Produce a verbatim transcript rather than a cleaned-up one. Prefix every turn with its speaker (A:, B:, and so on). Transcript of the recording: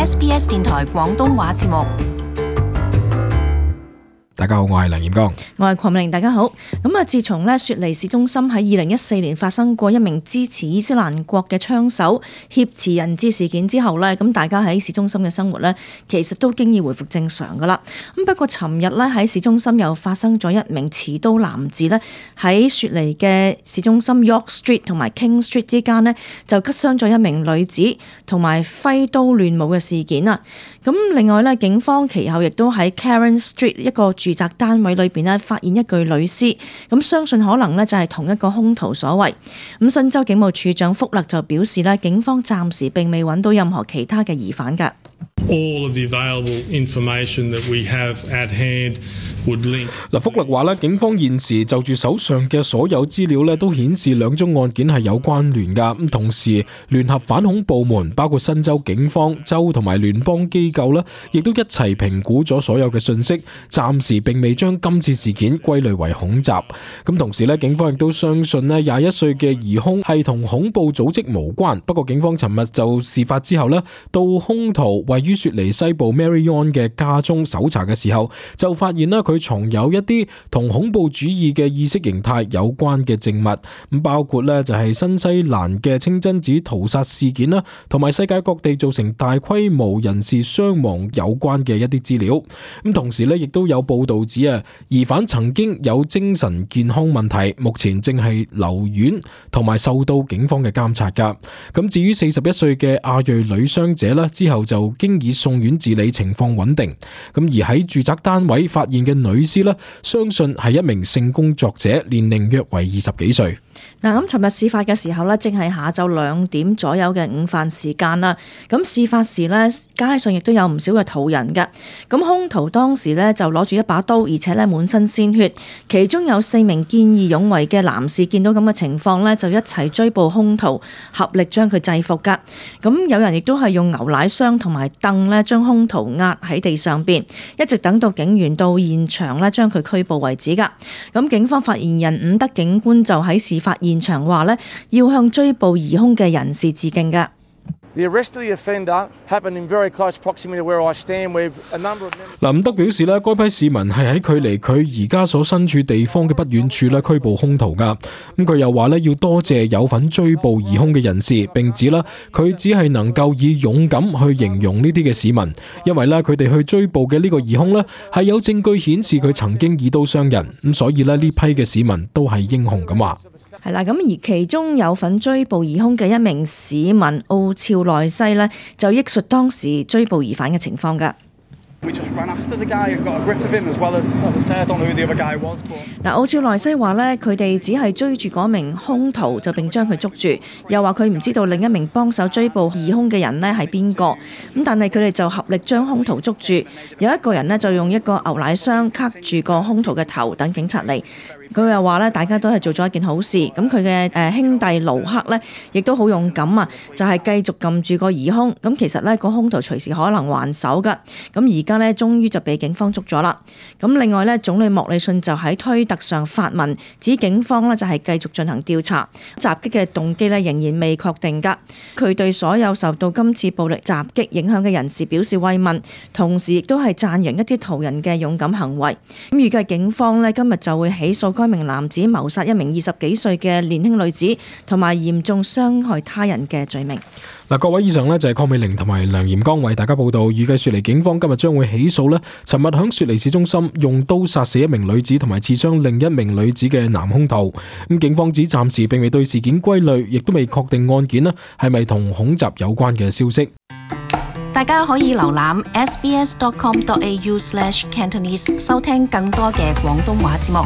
A: S B S 電台廣東話節目。
B: 大家好，我係梁彥剛，
C: 我係鄺美玲。大家好。咁啊，自從咧雪梨市中心喺二零一四年發生過一名支持伊斯蘭國嘅槍手挾持人質事件之後咧，咁大家喺市中心嘅生活咧，其實都經已回復正常噶啦。咁不過尋日咧喺市中心又發生咗一名持刀男子咧喺雪梨嘅市中心 York Street 同埋 King Street 之間咧就擊傷咗一名女子，同埋揮刀亂舞嘅事件啊。咁另外咧，警方其後亦都喺 Karen Street 一個住宅單位裏邊咧發現一具女屍，咁相信可能咧就係同一個兇徒所為。咁新州警務處長福勒就表示咧，警方暫時並未揾到任何其他嘅疑犯㗎。
D: All of the available information that we have at hand would link。
B: 嗱，福勒話咧，警方現時就住手上嘅所有資料咧，都顯示兩宗案件係有關聯噶。咁同時，聯合反恐部門包括新州警方、州同埋聯邦機構咧，亦都一齊評估咗所有嘅信息，暫時並未將今次事件歸類為恐襲。咁同時咧，警方亦都相信咧，廿一歲嘅疑兇係同恐怖組織無關。不過警方尋日就事發之後咧，到兇徒位於雪梨西部 Marion 嘅家中搜查嘅時候，就發現啦佢藏有一啲同恐怖主義嘅意識形態有關嘅證物，咁包括咧就係新西蘭嘅清真寺屠殺事件啦，同埋世界各地造成大規模人士傷亡有關嘅一啲資料。咁同時咧，亦都有報道指啊，疑犯曾經有精神健康問題，目前正係留院同埋受到警方嘅監察噶。咁至於四十一歲嘅亞裔女傷者咧，之後就經已送院治理，情況穩定。咁而喺住宅單位發現嘅女屍咧，相信係一名性工作者，年齡約為二十幾歲。
C: 嗱，咁尋日事發嘅時候咧，正係下晝兩點左右嘅午飯時間啦。咁事發時咧，街上亦都有唔少嘅途人㗎。咁兇徒當時咧就攞住一把刀，而且咧滿身鮮血。其中有四名見義勇為嘅男士見到咁嘅情況咧，就一齊追捕兇徒，合力將佢制服㗎。咁有人亦都係用牛奶箱同埋凳咧，將兇徒壓喺地上邊，一直等到警員到現場咧，將佢拘捕為止㗎。咁警方發言人伍德警官就喺事發現場話咧，要向追捕疑兇嘅人士致敬㗎。
E: The arrest of the offender happened in very close proximity to where I stand. We've a number of members.
B: 嗱，伍德表示咧，該批市民係喺距離佢而家所身處地方嘅不遠處咧拘捕兇徒噶。咁佢又話咧，要多謝有份追捕疑兇嘅人士，並指啦佢只係能夠以勇敢去形容呢啲嘅市民，因為咧佢哋去追捕嘅呢個疑兇咧係有證據顯示佢曾經以刀傷人，咁所以咧呢批嘅市民都係英雄咁話。
C: 係啦，咁而其中有份追捕疑兇嘅一名市民奧肖內西呢，就憶述當時追捕疑犯嘅情況㗎。嗱，奧肖內西話呢，佢哋只係追住嗰名兇徒，就並將佢捉住，又話佢唔知道另一名幫手追捕疑兇嘅人呢係邊個，咁但係佢哋就合力將兇徒捉住，有一個人呢，就用一個牛奶箱卡住個兇徒嘅頭，等警察嚟。佢又話咧，大家都係做咗一件好事。咁佢嘅誒兄弟盧克呢，亦都好勇敢啊，就係繼續撳住個疑兇。咁其實呢個兇徒隨時可能還手㗎。咁而家呢，終於就被警方捉咗啦。咁另外呢，總理莫里遜就喺推特上發文，指警方呢就係繼續進行調查，襲擊嘅動機呢仍然未確定㗎。佢對所有受到今次暴力襲擊影響嘅人士表示慰問，同時亦都係讚揚一啲途人嘅勇敢行為。咁預計警方呢今日就會起訴該名男子謀殺一名二十幾歲嘅年輕女子，同埋嚴重傷害他人嘅罪名。
B: 嗱，各位以上呢就係鄺美玲同埋梁彥剛為大家報道。預計雪梨警方今日將會起訴呢尋日響雪梨市中心用刀殺死一名女子同埋刺傷另一名女子嘅男兇徒。咁警方指暫時並未對事件歸類，亦都未確定案件呢係咪同恐襲有關嘅消息。
A: 大家可以瀏覽 s b s dot com dot a u slash cantonese 收聽更多嘅廣東話節目。